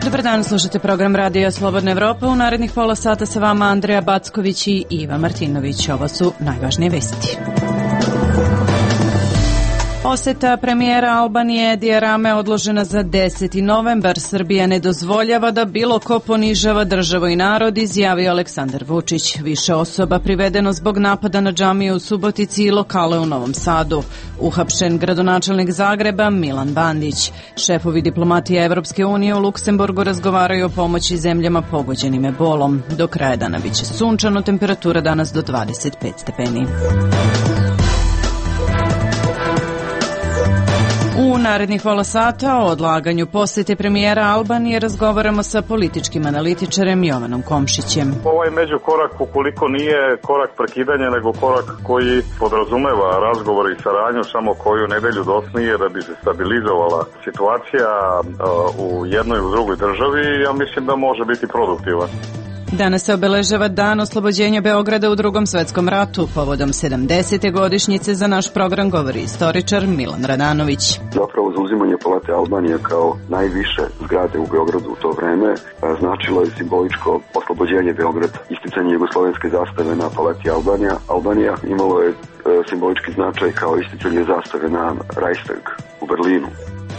Dobar dan, slušate program Radija Slobodna Evropa. U narednih pola sata sa vama Andreja Backović i Iva Martinović. Ovo su najvažnije vesti. Poseta premijera Albanije Edija Rame odložena za 10. novembar. Srbija ne dozvoljava da bilo ko ponižava državu i narod, izjavio Aleksandar Vučić. Više osoba privedeno zbog napada na džamiju u Subotici i lokale u Novom Sadu. Uhapšen gradonačelnik Zagreba Milan Bandić. Šefovi diplomatije Evropske unije u Luksemburgu razgovaraju o pomoći zemljama pogođenim ebolom. Do kraja dana biće sunčano, temperatura danas do 25 stepeni. U narednih pola sata o odlaganju posete premijera Albanije razgovaramo sa političkim analitičarem Jovanom Komšićem. Ovaj međukorak, ukoliko nije korak prekidanja, nego korak koji podrazumeva razgovor i saradnju samo koju nedelju dosnije da bi se stabilizovala situacija u jednoj i u drugoj državi, ja mislim da može biti produktivan. Danas se obeležava dan oslobođenja Beograda u Drugom svetskom ratu. Povodom 70. godišnjice za naš program govori istoričar Milan Radanović. Zapravo zauzimanje Palate Albanije kao najviše zgrade u Beogradu u to vreme značilo je simboličko oslobođenje Beograda. Isticanje jugoslovenske zastave na Palati Albanija imalo je simbolički značaj kao isticanje zastave na Reichstag u Berlinu.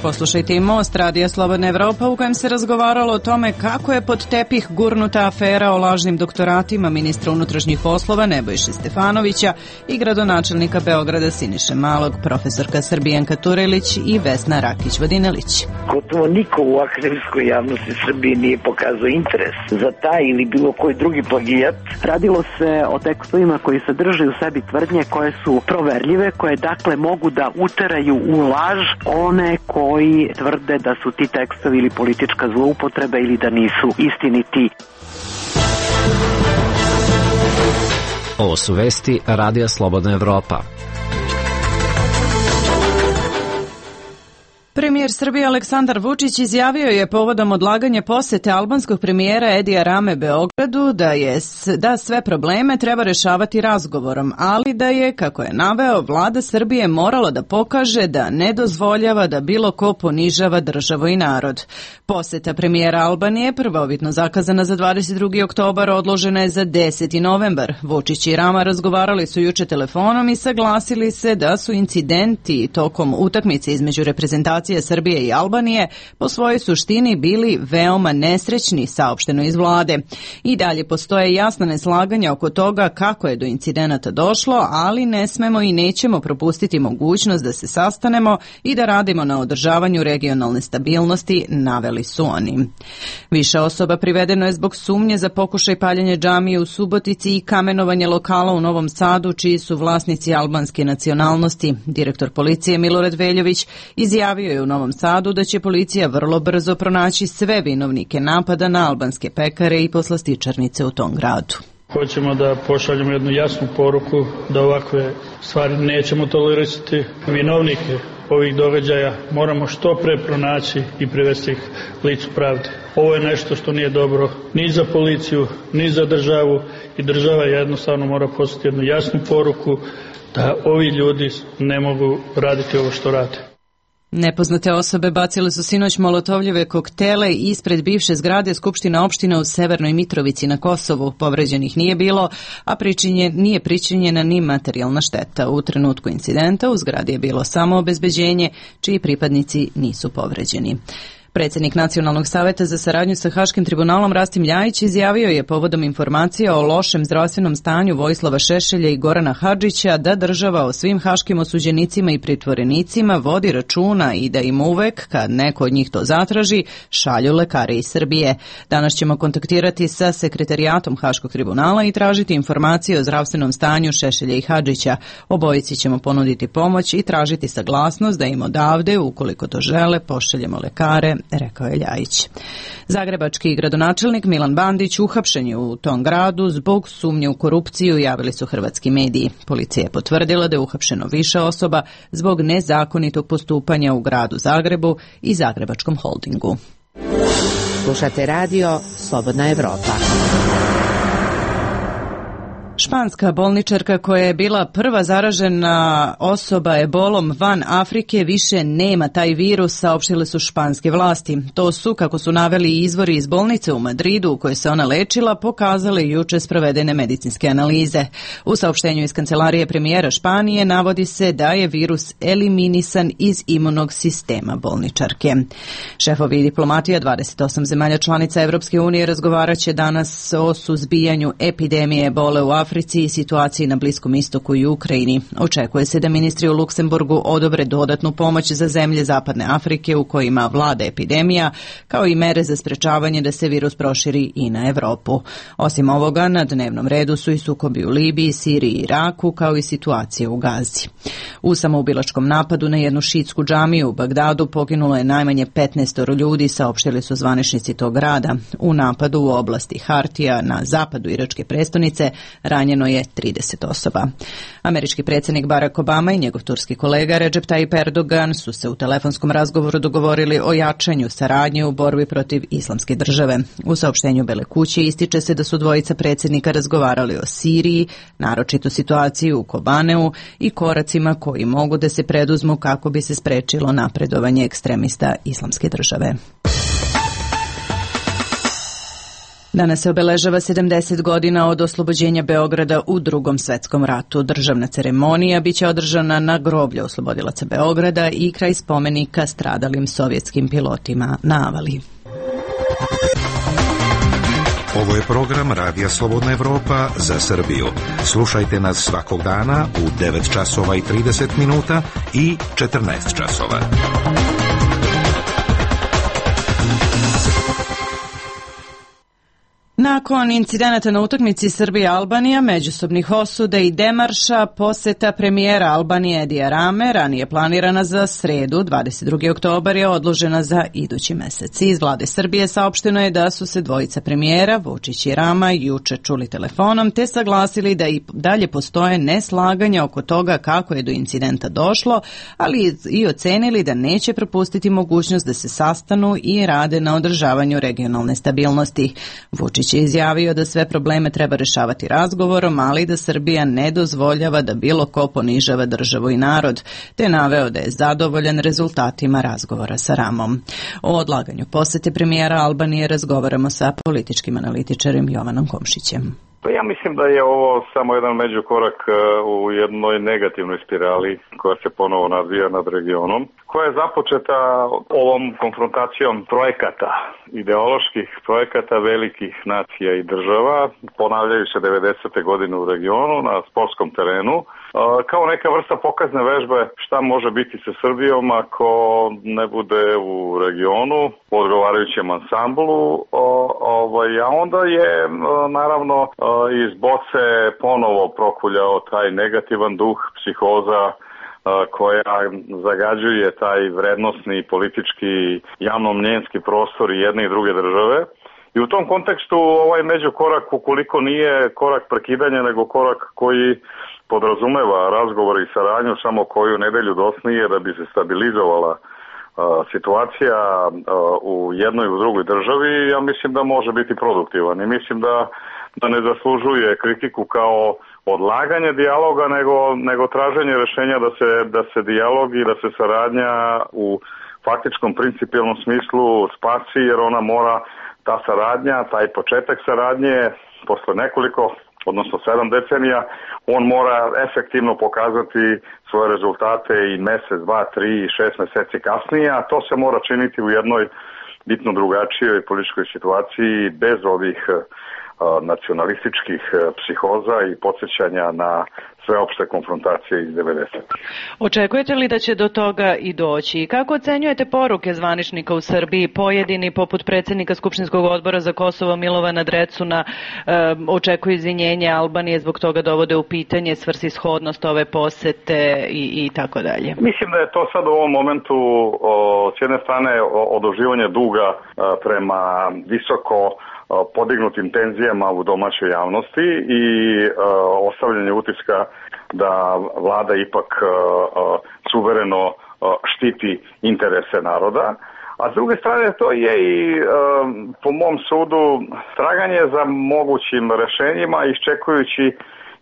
Poslušajte i Most Radija Slobodna Evropa u kojem se razgovaralo o tome kako je pod tepih gurnuta afera o lažnim doktoratima ministra unutrašnjih poslova Nebojše Stefanovića i gradonačelnika Beograda Siniše Malog, profesorka Srbijanka Turelić i Vesna Rakić-Vodinelić. Gotovo niko u akademskoj javnosti Srbije nije pokazao interes za taj ili bilo koji drugi plagijat. Radilo se o tekstovima koji sadrže u sebi tvrdnje koje su proverljive, koje dakle mogu da uteraju u laž one koji tvrde da su ti tekstovi ili politička zloupotreba ili da nisu istiniti. Ovo su vesti Radija Slobodna Evropa. Premijer Srbije Aleksandar Vučić izjavio je povodom odlaganja posete albanskog premijera Edija Rame Beogradu da sve probleme treba rešavati razgovorom, ali da je, kako je naveo, vlada Srbije morala da pokaže da ne dozvoljava da bilo ko ponižava državu i narod. Poseta premijera Albanije, prvobitno zakazana za 22. oktobar, odložena je za 10. novembar. Vučić i Rama razgovarali su juče telefonom i saglasili se da su incidenti tokom utakmice između reprezentacije Srbije i Albanije po svojoj suštini bili veoma nesrećni, saopšteno iz vlade. I dalje postoje jasna neslaganja oko toga kako je do incidenata došlo, ali ne smemo i nećemo propustiti mogućnost da se sastanemo i da radimo na održavanju regionalne stabilnosti, naveli su oni. Više osoba privedeno je zbog sumnje za pokušaj paljenja džamije u Subotici i kamenovanje lokala u Novom Sadu, čiji su vlasnici albanske nacionalnosti. Direktor policije Milorad Veljović izjavio je u Novom Sadu da će policija vrlo brzo pronaći sve vinovnike napada na albanske pekare i poslastičarnice u tom gradu. Hoćemo da pošaljemo jednu jasnu poruku da ovakve stvari nećemo tolerisati. Vinovnike ovih događaja moramo što pre pronaći i privesti ih licu pravde. Ovo je nešto što nije dobro ni za policiju, ni za državu i država jednostavno mora poslati jednu jasnu poruku da ovi ljudi ne mogu raditi ovo što rade. Nepoznate osobe bacile su sinoć molotovljeve koktele ispred bivše zgrade Skupština opština u Severnoj Mitrovici na Kosovu. Povređenih nije bilo, a nije pričinjena ni materijalna šteta. U trenutku incidenta u zgradi je bilo samo obezbeđenje, čiji pripadnici nisu povređeni. Predsjednik Nacionalnog saveta za saradnju sa Haškim tribunalom Rastim Ljajić izjavio je povodom informacija o lošem zdravstvenom stanju Vojislava Šešelja i Gorana Hadžića da država o svim haškim osuđenicima i pritvorenicima vodi računa i da im uvek, kad neko od njih to zatraži, šalju lekare iz Srbije. Danas ćemo kontaktirati sa sekretarijatom Haškog tribunala i tražiti informacije o zdravstvenom stanju Šešelja i Hadžića. Obojici ćemo ponuditi pomoć i tražiti saglasnost da im odavde, ukoliko to žele, pošaljemo lekare, rekao je Ljajić. Zagrebački gradonačelnik Milan Bandić uhapšen je u tom gradu zbog sumnje u korupciju, javili su hrvatski mediji. Policija je potvrdila da je uhapšeno više osoba zbog nezakonitog postupanja u gradu Zagrebu i Zagrebačkom holdingu. Slušate radio Slobodna Evropa. Španska bolničarka koja je bila prva zaražena osoba ebolom van Afrike više nema taj virus, saopštile su španske vlasti. To su, kako su naveli izvori iz bolnice u Madridu u kojoj se ona lečila, pokazale juče sprovedene medicinske analize. U saopštenju iz kancelarije premijera Španije navodi se da je virus eliminisan iz imunog sistema bolničarke. Šefovi diplomatija 28 zemalja članica Evropske unije razgovarat će danas o suzbijanju epidemije ebole u Africi i situaciji na Bliskom istoku i Ukrajini. Očekuje se da ministri u Luksemburgu odobre dodatnu pomoć za zemlje Zapadne Afrike u kojima vlada epidemija, kao i mere za sprečavanje da se virus proširi i na Evropu. Osim ovoga, na dnevnom redu su i sukobi u Libiji, Siriji i Iraku, kao i situacije u Gazi. U samoubilačkom napadu na jednu šiitsku džamiju u Bagdadu poginulo je najmanje 15 ljudi, saopštili su zvaničnici tog grada. U napadu u oblasti Hartija na zapadu iračke prestonice ranjeno je 30 osoba. Američki predsjednik Barack Obama i njegov turski kolega Recep Tayyip Erdogan su se u telefonskom razgovoru dogovorili o jačanju saradnje u borbi protiv Islamske države. U saopštenju Bele kuće ističe se da su dvojica predsjednika razgovarali o Siriji, naročito situaciji u Kobaneu i koracima koji mogu da se preduzmu kako bi se sprečilo napredovanje ekstremista Islamske države. Danas se obeležava 70 godina od oslobođenja Beograda u Drugom svetskom ratu. Državna ceremonija biće održana na groblju oslobodilaca Beograda i kraj spomenika stradalim sovjetskim pilotima na Avali. Ovo je program Radija Slobodna Evropa za Srbiju. Slušajte nas svakog dana u 9 časova i 30 minuta i 14 časova. Nakon incidenata na utakmici Srbija-Albanija, međusobnih osuda i demarša, poseta premijera Albanije Edija Rame, ranije planirana za sredu, 22. oktobar, je odložena za idući mesec. Iz vlade Srbije saopšteno je da su se dvojica premijera, Vučić i Rama, juče čuli telefonom, te saglasili da i dalje postoje neslaganja oko toga kako je do incidenta došlo, ali i ocenili da neće propustiti mogućnost da se sastanu i rade na održavanju regionalne stabilnosti. Vučić je izjavio da sve probleme treba rešavati razgovorom, ali da Srbija ne dozvoljava da bilo ko ponižava državu i narod, te naveo da je zadovoljan rezultatima razgovora sa Ramom. O odlaganju posete premijera Albanije razgovaramo sa političkim analitičarem Jovanom Komšićem. Pa ja mislim da je ovo samo jedan međukorak u jednoj negativnoj spirali koja se ponovo nadvija nad regionom, koja je započeta ovom konfrontacijom projekata, ideoloških projekata velikih nacija i država, ponavljaju se 90. godine u regionu na sportskom terenu, kao neka vrsta pokazne vežbe šta može biti sa Srbijom ako ne bude u regionu u odgovarajućem ansamblu, a onda je naravno iz boce ponovo prokuljao taj negativan duh, psihoza koja zagađuje taj vrednosni, politički, javno-mnjenjski prostor jedne i druge države. I u tom kontekstu ovaj međukorak, ukoliko nije korak prekidanja, nego korak koji podrazumeva razgovor i saradnju samo koju nedelju dosnije da bi se stabilizovala situacija u jednoj i u drugoj državi, ja mislim da može biti produktivan i mislim da ne zaslužuje kritiku kao odlaganje dijaloga, nego traženje rješenja da se dijalog i da se saradnja u faktičkom principijelnom smislu spasi, jer ona mora, ta saradnja, taj početak saradnje posle nekoliko, odnosno 7 decenija, on mora efektivno pokazati svoje rezultate i mesec, 2, 3, 6 meseci kasnije, a to se mora činiti u jednoj bitno drugačijoj političkoj situaciji bez ovih nacionalističkih psihoza i podsjećanja na sveopšte konfrontacije iz 90. Očekujete li da će do toga i doći? Kako ocenjujete poruke zvaničnika u Srbiji? Pojedini, poput predsjednika Skupštinskog odbora za Kosovo Milovana Drecuna, očekuju izvinjenje Albanije, zbog toga dovode u pitanje svrsishodnost ove posete i tako dalje. Mislim da je to sad u ovom momentu s jedne strane oduživanje duga prema visoko podignutim tenzijama u domaćoj javnosti i ostavljanje utiska da vlada ipak suvereno štiti interese naroda. A s druge strane to je i po mom sudu traganje za mogućim rešenjima, iščekujući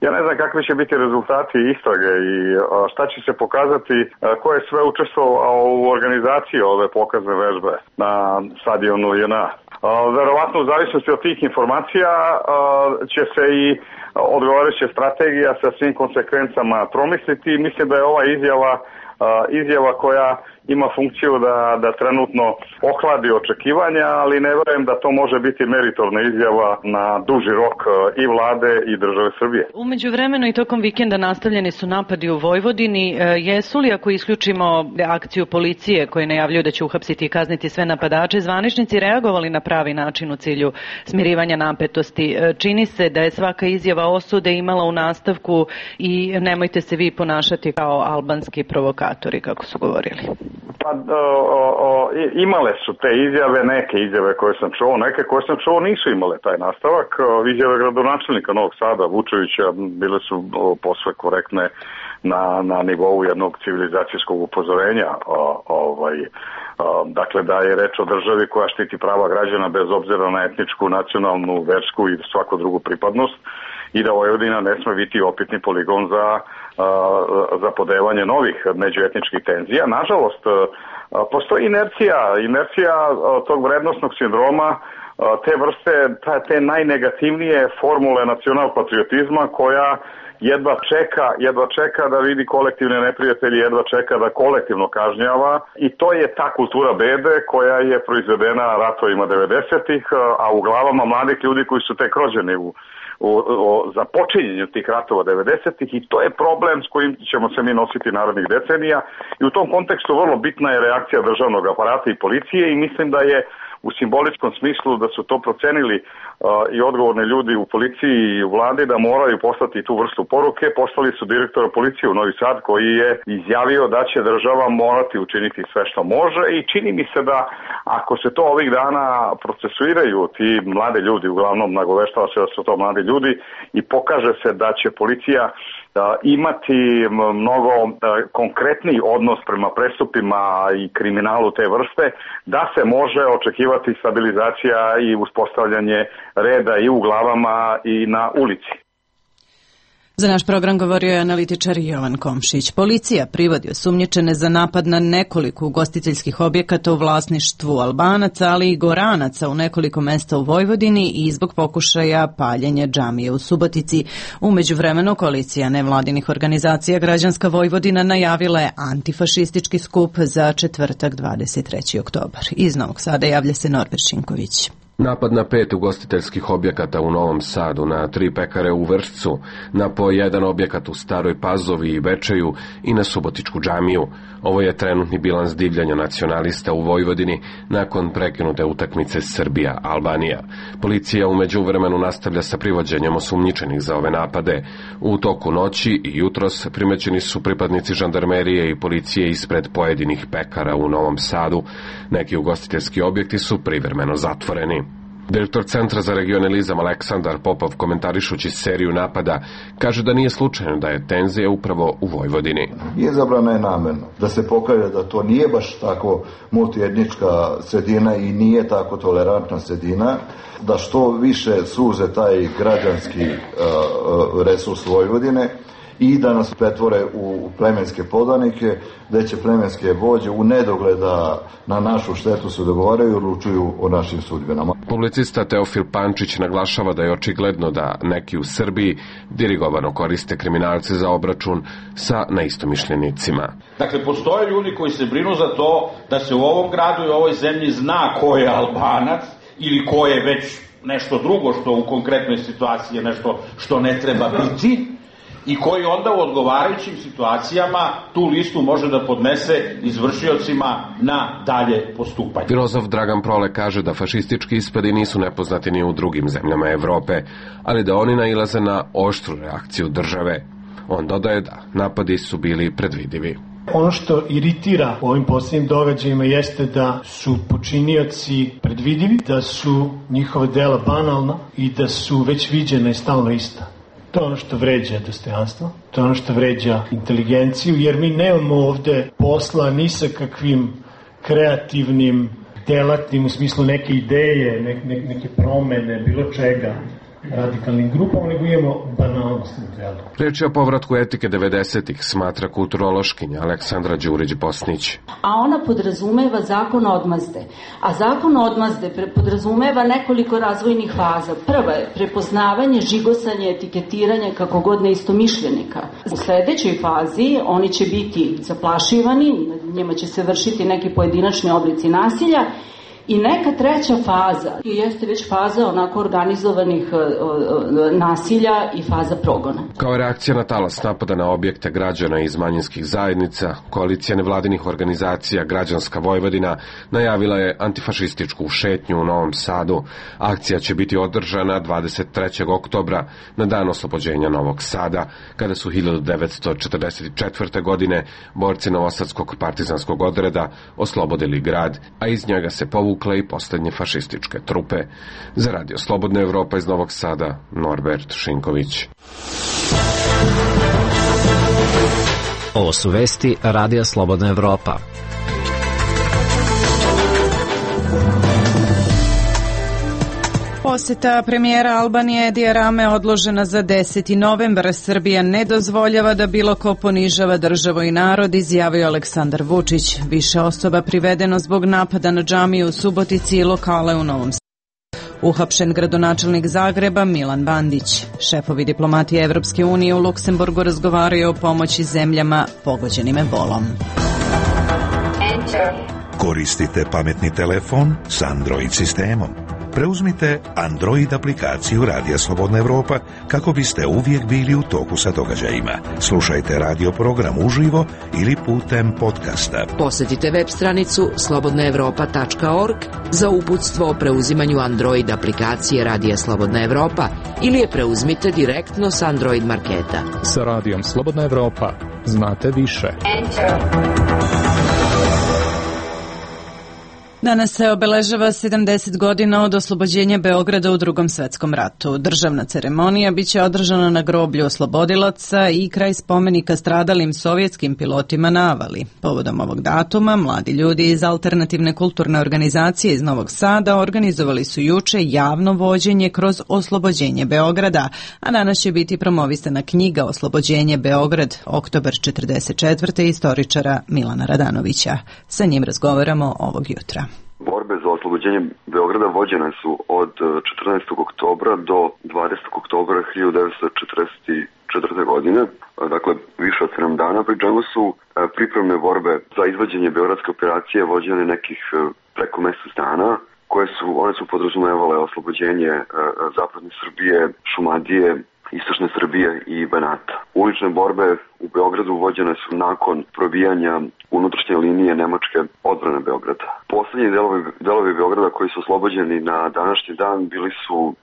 Ja ne znam kakvi će biti rezultati istrage i šta će se pokazati, ko je sve učestvovao u organizaciji ove pokazne vežbe na stadionu JNA. Verovatno u zavisnosti od tih informacija će se i odgovarajuća strategija sa svim konsekvencama promisliti. Mislim da je ova izjava koja ima funkciju da trenutno ohladi očekivanja, ali ne verujem da to može biti meritorna izjava na duži rok i vlade i države Srbije. Umeđu vremenu i tokom vikenda nastavljeni su napadi u Vojvodini. Jesu li, ako isključimo akciju policije koje najavljuju da će uhapsiti i kazniti sve napadače, zvaničnici reagovali na pravi način u cilju smirivanja napetosti? Čini se da je svaka izjava osude imala u nastavku i nemojte se vi ponašati kao albanski provokatori, kako su govorili. Pa imale su te izjave, neke izjave koje sam čuo, neke koje sam čuo nisu imale taj nastavak. Izjave gradonačelnika Novog Sada, Vučevića, bile su posve korektne na nivou jednog civilizacijskog upozorenja. Dakle, da je reč o državi koja štiti prava građana bez obzira na etničku, nacionalnu, versku i svaku drugu pripadnost i da Vojvodina ne sme biti opitni poligon za podevanje novih međuetničkih tenzija. Nažalost, postoji inercija tog vrednostnog sindroma, te vrste, te najnegativnije formule nacionalpatriotizma koja jedva čeka da vidi kolektivne neprijatelje, jedva čeka da kolektivno kažnjava i to je ta kultura bede koja je proizvedena ratovima 90-ih, a u glavama mladih ljudi koji su tek rođeni o započinjenju tih ratova 90-ih i to je problem s kojim ćemo se mi nositi narednih decenija i u tom kontekstu vrlo bitna je reakcija državnog aparata i policije i mislim da je u simboličkom smislu da su to procenili i odgovorni ljudi u policiji i u vladi da moraju poslati tu vrstu poruke. Poslali su direktora policije u Novi Sad koji je izjavio da će država morati učiniti sve što može i čini mi se da ako se to ovih dana procesuiraju ti mlade ljudi, uglavnom nagoveštava se da su to mladi ljudi i pokaže se da će policija imati mnogo konkretniji odnos prema prestupima i kriminalu te vrste, da se može očekivati stabilizacija i uspostavljanje reda i u glavama i na ulici. Za naš program govorio je analitičar Jovan Komšić. Policija privodi osumnjičene za napad na nekoliko ugostiteljskih objekata u vlasništvu Albanaca, ali i Goranaca u nekoliko mesta u Vojvodini i zbog pokušaja paljenja džamije u Subotici. U međuvremenu koalicija nevladinih organizacija Građanska Vojvodina najavila je antifašistički skup za četvrtak 23. oktobar. Iz Novog Sada javlja se Norbert Šinković. Napad na 5 ugostiteljskih objekata u Novom Sadu, na 3 pekare u Vršcu, na po 1 objekat u Staroj Pazovi i Bečeju i na Subotičku džamiju. Ovo je trenutni bilans divljanja nacionalista u Vojvodini nakon prekinute utakmice Srbija-Albanija. Policija u međuvremenu nastavlja sa privođenjem osumnjičenih za ove napade. U toku noći i jutros primećeni su pripadnici žandarmerije i policije ispred pojedinih pekara u Novom Sadu. Neki ugostiteljski objekti su privremeno zatvoreni. Direktor Centra za regionalizam Aleksandar Popov, komentarišući seriju napada, kaže da nije slučajno da je tenzija upravo u Vojvodini. Izabrana je namerno da se pokaže da to nije baš tako multietnička sredina i nije tako tolerantna sredina, da što više suze taj građanski resurs Vojvodine i da nas pretvore u plemenske podanike, da će plemenske vođe u nedogleda na našu štetu se dogovaraju i odlučuju o našim sudbinama. Publicista Teofil Pančić naglašava da je očigledno da neki u Srbiji dirigovano koriste kriminalce za obračun sa neistomišljenicima. Dakle, postoje ljudi koji se brinu za to da se u ovom gradu i ovoj zemlji zna ko je Albanac ili ko je već nešto drugo što u konkretnoj situaciji je nešto što ne treba biti, i koji onda u odgovarajućim situacijama tu listu može da podnese izvršiocima na dalje postupanje. Filozof Dragan Prole kaže da fašistički ispadi nisu nepoznati ni u drugim zemljama Evrope, ali da oni nailaze na oštru reakciju države. On dodaje da napadi su bili predvidivi. Ono što iritira u ovim posljednjim događajima jeste da su počinioci predvidivi, da su njihova dela banalna i da su već viđena i stalno ista. To je ono što vređa dostojanstvo, to je ono što vređa inteligenciju, jer mi nemamo ovde posla ni sa kakvim kreativnim, delatnim, u smislu neke ideje, neke promene, bilo čega. radikalnim grupama, nego imamo banalnost na delu. Reč je o povratku etike 90-ih, smatra kulturološkinja Aleksandra Đurić-Bosnić. A ona podrazumeva zakon odmazde. A zakon odmazde podrazumeva nekoliko razvojnih faza. Prva je prepoznavanje, žigosanje, etiketiranje kako god neistomišljenika. U sledećoj fazi oni će biti zaplašivani, njima će se vršiti neki pojedinačni oblici nasilja. I neka treća faza jeste već faza onako organizovanih nasilja i faza progona. Kao reakcija na talas napada na objekte građana iz manjinskih zajednica, koalicija nevladinih organizacija Građanska Vojvodina najavila je antifašističku šetnju u Novom Sadu. Akcija će biti održana 23. oktobra na dan oslobođenja Novog Sada, kada su 1944. godine borci Novosadskog partizanskog odreda oslobodili grad, a iz njega se povukle i poslednje fašističke trupe. Za Radio Slobodna Evropa iz Novog Sada, Norbert Šinković. Ovo su vesti Radija Slobodna Evropa. Poseta premijera Albanije Edija Rame odložena za 10. novembar. Srbija ne dozvoljava da bilo ko ponižava državu i narod, izjavio Aleksandar Vučić. Više osoba privedeno zbog napada na džamiju u Subotici i lokale u Novom Sadu. Uhapšen gradonačelnik Zagreba Milan Bandić. Šefovi diplomatije Evropske unije u Luksemburgu razgovaraju o pomoći zemljama pogođenim ebolom. Koristite pametni telefon s Android sistemom. Preuzmite Android aplikaciju Radija Slobodna Evropa kako biste uvijek bili u toku sa događajima. Slušajte radio program uživo ili putem podcasta. Posjetite web stranicu slobodnaevropa.org za uputstvo o preuzimanju Android aplikacije Radija Slobodna Evropa ili je preuzmite direktno s Android marketa. Sa Radijom Slobodna Evropa znate više. Danas se obeležava 70 godina od oslobođenja Beograda u Drugom svetskom ratu. Državna ceremonija biće održana na groblju oslobodilaca i kraj spomenika stradalim sovjetskim pilotima na Avali. Povodom ovog datuma, mladi ljudi iz alternativne kulturne organizacije iz Novog Sada organizovali su juče javno vođenje kroz oslobođenje Beograda, a danas će biti promovisana knjiga Oslobođenje Beograd, oktobar 44. istoričara Milana Radanovića. Sa njim razgovaramo ovog jutra. Borbe za oslobođenje Beograda vođene su od 14. oktobra do 20. oktobra 1944. godine, dakle više od 7 dana, pri čemu su pripremne borbe za izvođenje beogradske operacije vođene nekih preko mjesec dana, one su podrazumevale oslobođenje zapadne Srbije, Šumadije, istočne Srbije i Banata. Ulične borbe u Beogradu vođene su nakon probijanja unutrašnje linije nemačke odbrane Beograda. Poslednji delovi Beograda koji su oslobođeni na današnji dan bili su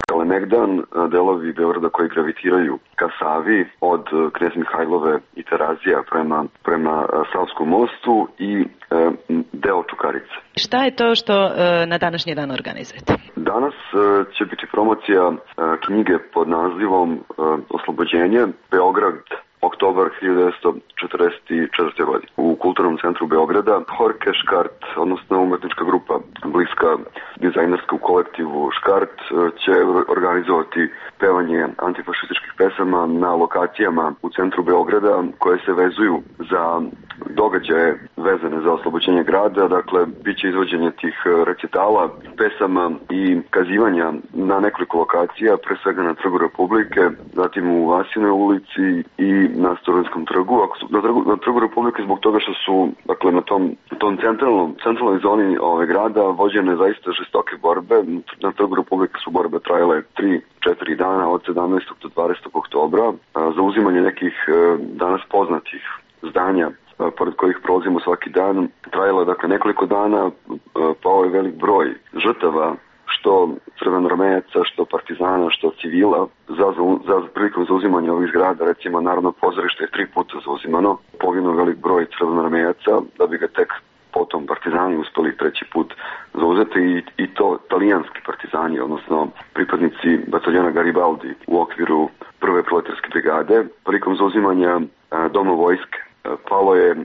Kalemegdan, delovi Beograda koji gravitiraju ka Savi od Knez Mihajlove i Terazija prema Savskom mostu i deo Čukarice. Šta je to što na današnji dan organizujete? Danas će biti promocija knjige pod nazivom Oslobođenje Beograd, oktobar 1944. godine. U Kulturnom centru Beograda Horke Škart, odnosno umetnička grupa bliska dizajnerskom kolektivu Škart, će organizovati pevanje antifašističkih pesama na lokacijama u centru Beograda koje se vezuju za događaje vezane za oslobođenje grada. Dakle, bit će izvođenje tih recitala, pesama i kazivanja na nekoliko lokacija, pre svega na Trgu Republike, zatim u Vasinoj ulici i na Studentskom trgu. Na Trgu Republike zbog toga što su, dakle, na tom centralnoj zoni grada vođene zaista žestoke borbe. Na Trgu Republike su borbe trajale 3-4 dana od 17. do 20. oktobra za uzimanje nekih danas poznatih zdanja pored kojih prolazimo svaki dan. Trajalo je, dakle, nekoliko dana, pao je velik broj žrtava, što crvenoarmejaca, što partizana, što civila, za prilikom zauzimanja ovih zgrada. Recimo, Narodno pozorište je 3 puta zauzimano, poginuo velik broj crvenoarmejaca, da bi ga tek potom partizani uspeli 3. put zauzeti, i to talijanski partizani, odnosno pripadnici bataljona Garibaldi u okviru prve proletarske brigade. Prilikom zauzimanja Doma vojske Palo je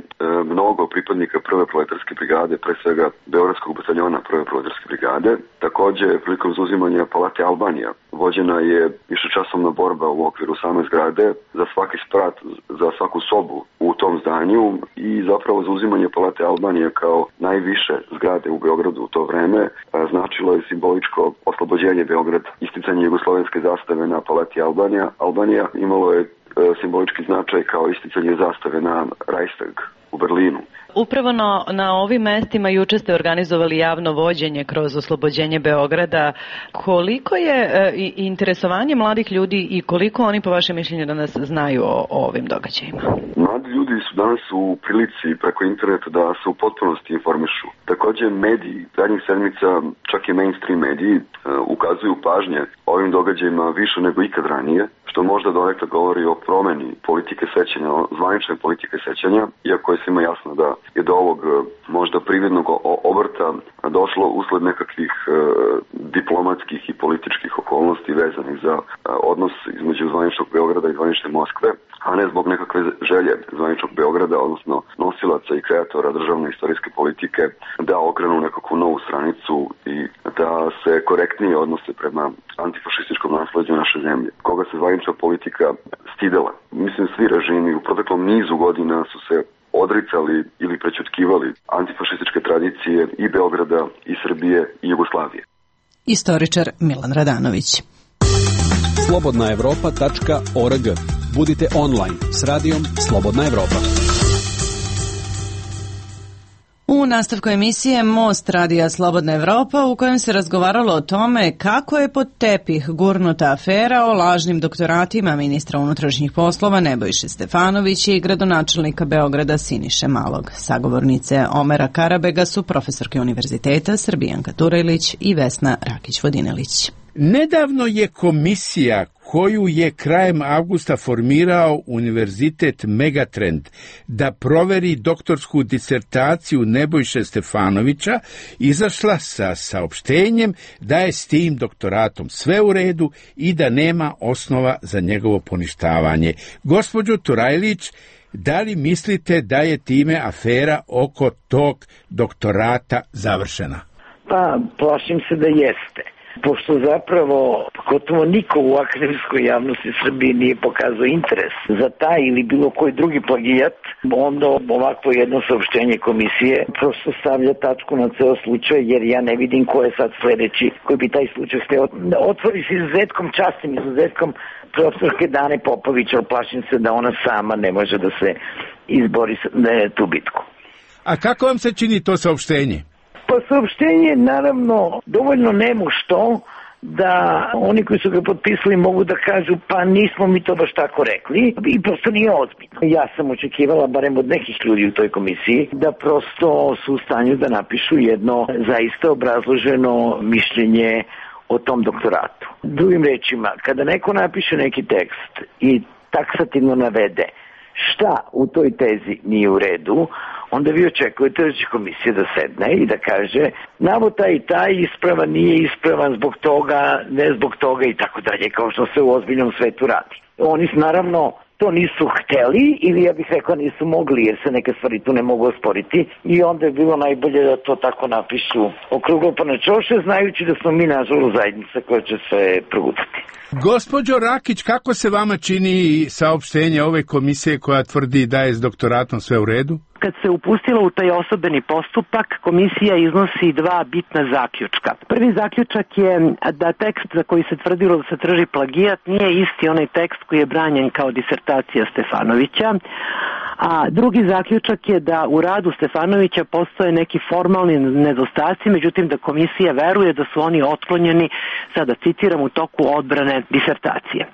mnogo pripadnika prve proletarske brigade, pre svega Beogradskog bataljona prve proletarske brigade. Takođe, prilikom zauzimanja Palate Albanija vođena je višečasovna borba u okviru same zgrade za svaki sprat, za svaku sobu u tom zdanju i zapravo zauzimanje Palate Albanija kao najviše zgrade u Beogradu u to vreme značilo je simboličko oslobođenje Beograda. Isticanje jugoslovenske zastave na Palati Albanija imalo je simbolički značaj kao isticanje zastave na Reichstag u Berlinu. Upravo na ovim mestima juče ste organizovali javno vođenje kroz oslobođenje Beograda. Koliko je interesovanje mladih ljudi i koliko oni po vašem mišljenju danas znaju o ovim događajima? Mladi ljudi su danas u prilici preko interneta da se u potpunosti informišu. Takođe mediji, zadnjih sedmica, čak i mainstream mediji ukazuju pažnje ovim događajima više nego ikad ranije, što možda donekle govori o promeni politike sećanja, zvanične politike sećanja, iako je svima jasno da je do ovog možda prividnog obrta došlo usled nekakvih diplomatskih i političkih okolnosti vezanih za odnos između zvaničnog Beograda i zvanične Moskve, a ne zbog nekakve želje zvaničnog Beograda, odnosno nosilaca i kreatora državne istorijske politike da okrenu nekakvu novu stranicu i da se korektnije odnose prema antifašističkom nasleđu naše zemlje, koga se zvanična politika stidela. Mislim, svi režimi u proteklom nizu godina su se odricali ili prećutkivali antifašističke tradicije i Beograda, i Srbije, i Jugoslavije. Istoričar Milan Radanović. slobodnaevropa.org. Budite online s radijom Slobodna Evropa. U nastavku emisije Most radija Slobodna Evropa, u kojem se razgovaralo o tome kako je pod tepih gurnuta afera o lažnim doktoratima ministra unutrašnjih poslova Nebojše Stefanovića i gradonačelnika Beograda Siniše Malog. Sagovornice Omera Karabega su profesorke univerziteta Srbijanka Turajlić i Vesna Rakić-Vodinelić. Nedavno je komisija koju je krajem avgusta formirao Univerzitet Megatrend da proveri doktorsku disertaciju Nebojše Stefanovića izašla sa saopštenjem da je s tim doktoratom sve u redu i da nema osnova za njegovo poništavanje. Gospođo Turajlić, da li mislite da je time afera oko tog doktorata završena? Pa, plašim se da jeste. Pošto zapravo gotovo niko u akademskoj javnosti Srbije nije pokazao interes za taj ili bilo koji drugi plagijat, onda ovakvo jedno saopštenje komisije prosto stavlja tačku na ceo slučaj, jer ja ne vidim ko je sad sledeći koji bi taj slučaj hteo. Otvori se izuzetkom, častim izuzetkom profesorke Dane Popović, ali plašim se da ona sama ne može da se izbori tu bitku. A kako vam se čini to saopštenje? Pa saopštenje naravno dovoljno nemušto da oni koji su ga potpisali mogu da kažu pa nismo mi to baš tako rekli i prosto nije ozbiljno. Ja sam očekivala barem od nekih ljudi u toj komisiji da prosto su u stanju da napišu jedno zaista obrazloženo mišljenje o tom doktoratu. Drugim rečima, kada neko napiše neki tekst i taksativno navede šta u toj tezi nije u redu, onda vi očekujete da će komisija da sedne i da kaže navod taj i taj ispravan, nije ispravan zbog toga, ne zbog toga i tako dalje, kao što se u ozbiljnom svetu radi. Oni naravno to nisu hteli ili ja bih rekao nisu mogli jer se neke stvari tu ne mogu osporiti i onda je bilo najbolje da to tako napišu okruglo pa na čoše, znajući da smo mi nažalost zajednica koja će se progutati. Gospođo Rakić, kako se vama čini saopštenje ove komisije koja tvrdi da je s doktoratom sve u redu? Kad se upustila u taj osobeni postupak, komisija iznosi dva bitna zaključka. Prvi zaključak je da tekst za koji se tvrdilo da se traži plagijat nije isti onaj tekst koji je branjen kao disertacija Stefanovića, a drugi zaključak je da u radu Stefanovića postoje neki formalni nedostaci, međutim da komisija veruje da su oni otklonjeni, sada citiram, u toku odbrane disertacije.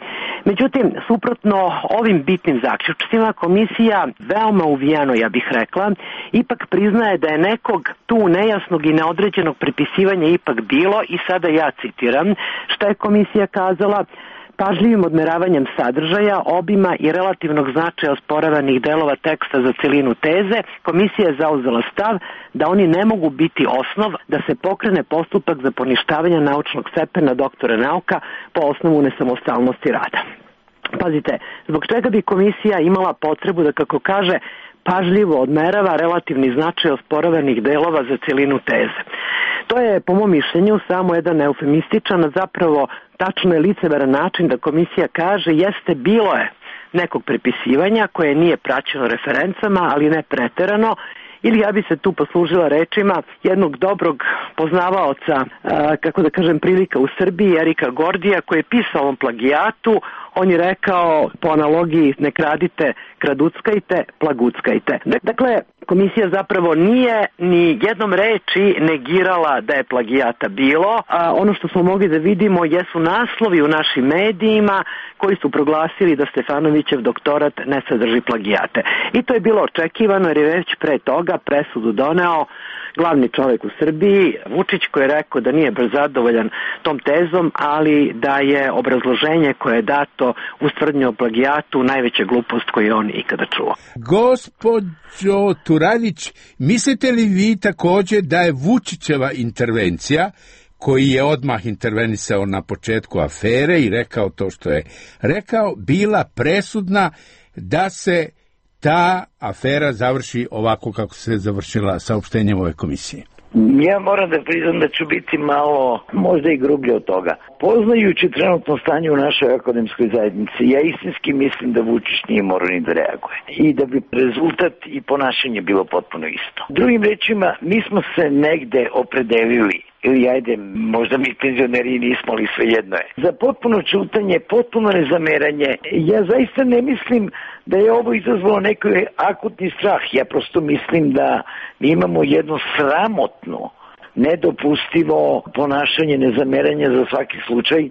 Međutim, suprotno ovim bitnim zaključcima, komisija veoma uvijeno, ja bih rekla, ipak priznaje da je nekog tu nejasnog i neodređenog prepisivanja ipak bilo i sada ja citiram šta je komisija kazala: pažljivim odmeravanjem sadržaja, obima i relativnog značaja osporavanih delova teksta za celinu teze, komisija je zauzela stav da oni ne mogu biti osnov da se pokrene postupak za poništavanje naučnog stepena doktora nauka po osnovu nesamostalnosti rada. Pazite, zbog čega bi komisija imala potrebu da, kako kaže, pažljivo odmerava relativni značaj osporavanih delova za celinu teze. To je, po mom mišljenju, samo jedan eufemističan, a zapravo tačno je licemeran način da komisija kaže jeste bilo je nekog prepisivanja koje nije praćeno referencama, ali ne preterano, ili ja bi se tu poslužila rečima jednog dobrog poznavaoca, kako da kažem, prilika u Srbiji, Erika Gordija, koji je pisao o plagijatu. On je rekao, po analogiji, ne kradite, kraduckajte, plaguckajte. Dakle, komisija zapravo nije ni jednom reči negirala da je plagijata bilo. Ono što smo mogli da vidimo jesu naslovi u našim medijima koji su proglasili da Stefanovićev doktorat ne sadrži plagijate. I to je bilo očekivano jer je već pre toga presudu doneo glavni čovjek u Srbiji, Vučić, koji je rekao da nije baš zadovoljan tom tezom, ali da je obrazloženje koje je dato uz tvrdnju o plagijatu najveća glupost koju je on ikada čuo. Gospođo Turanić, mislite li vi također da je Vučićeva intervencija, koji je odmah intervenisao na početku afere i rekao to što je rekao, bila presudna da se ta afera završi ovako kako se završila saopštenjem ove komisije? Ja moram da priznam da ću biti malo, možda i grublje od toga. Poznajući trenutno stanje u našoj akademskoj zajednici, ja istinski mislim da Vučić nije morao ni da reaguje i da bi rezultat i ponašanje bilo potpuno isto. Drugim rečima, mi smo se negde opredelili, ili ajde, možda mi penzioneri nismo, ali svejedno je, za potpuno čutanje, potpuno nezameranje. Ja zaista ne mislim da je ovo izazvalo neki akutni strah. Ja prosto mislim da mi imamo jedno sramotno, nedopustivo ponašanje, nezameranje za svaki slučaj,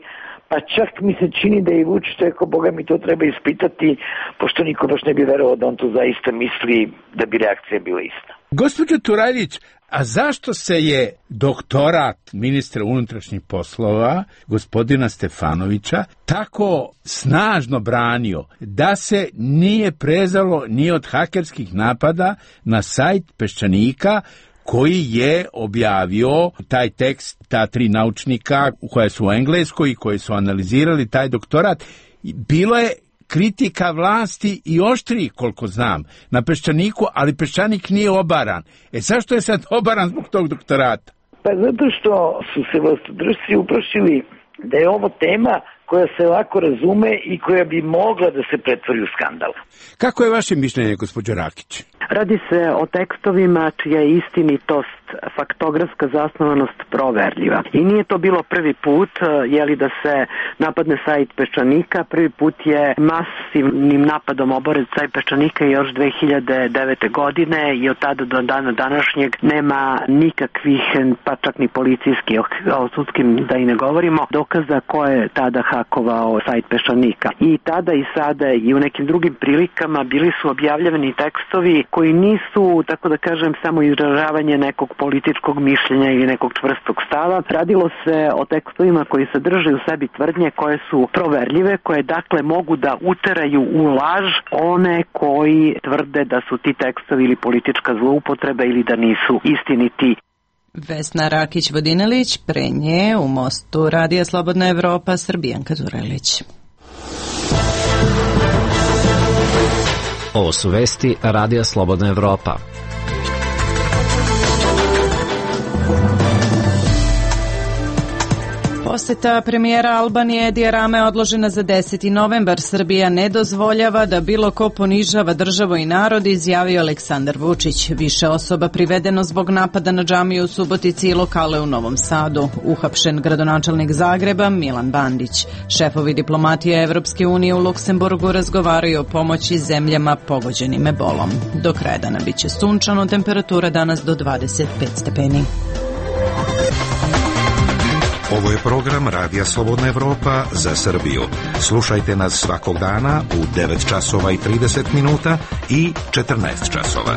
pa čak mi se čini da je i Vučić rekao, Boga mi to treba ispitati, pošto niko baš ne bi verovao da on to zaista misli, da bi reakcija bila ista. Gospođo Turajlić, a zašto se je doktorat ministra unutrašnjih poslova, gospodina Stefanovića, tako snažno branio da se nije prezalo ni od hakerskih napada na sajt Peščanika, koji je objavio taj tekst, ta 3 naučnika koja su u Engleskoj i koji su analizirali taj doktorat. Bilo je kritika vlasti i oštriji, koliko znam, na Peščaniku, ali Peščanik nije obaran. Zašto je sad obaran zbog tog doktorata? Pa zato što su se vlastodržci uplašili da je ovo tema koja se lako razume i koja bi mogla da se pretvori u skandal. Kako je vaše mišljenje, gospođo Rakić? Radi se o tekstovima čija je istinitost, faktografska zasnovanost proverljiva. I nije to bilo prvi put, da se napadne sajt Peščanika. Prvi put je masivnim napadom oboren sajt Peščanika još 2009. godine i od tada do dana današnjeg nema nikakvih, pa čak ni policijskih, o sudskim da i ne govorimo, dokaza ko je tada hakovao sajt Peščanika. I tada i sada i u nekim drugim prilikama bili su objavljeni tekstovi koji nisu, tako da kažem, samo izražavanje nekog političkog mišljenja ili nekog čvrstog stava. Radilo se o tekstovima koji sadrže u sebi tvrdnje koje su proverljive, koje dakle mogu da uteraju u laž one koji tvrde da su ti tekstovi ili politička zloupotreba ili da nisu istiniti. Vesna Rakić-Vodinelić, pre nje u Mostu Radija Slobodna Evropa, Srbijanka Turelić. Ovo su vesti Radija Slobodna Evropa. Poseta premijera Albanije Edija Rame odložena za 10. novembar. Srbija ne dozvoljava da bilo ko ponižava državu i narod, izjavio Aleksandar Vučić. Više osoba privedeno zbog napada na džamiju u Subotici i lokale u Novom Sadu. Uhapšen gradonačelnik Zagreba Milan Bandić. Šefovi diplomatije Evropske unije u Luksemburgu razgovaraju o pomoći zemljama pogođenim ebolom. Do kraja dana biće sunčano, temperatura danas do 25 stepeni. Ovo je program Radija Slobodna Evropa za Srbiju. Slušajte nas svakog dana u 9 časova i 30 minuta i 14 časova.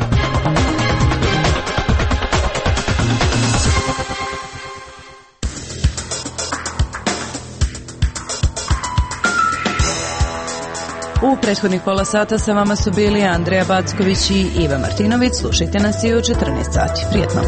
U prethodnih pola sata sa vama su bili Andreja Backović i Iva Martinović. Slušajte nas i u 14 sati. Prijetno.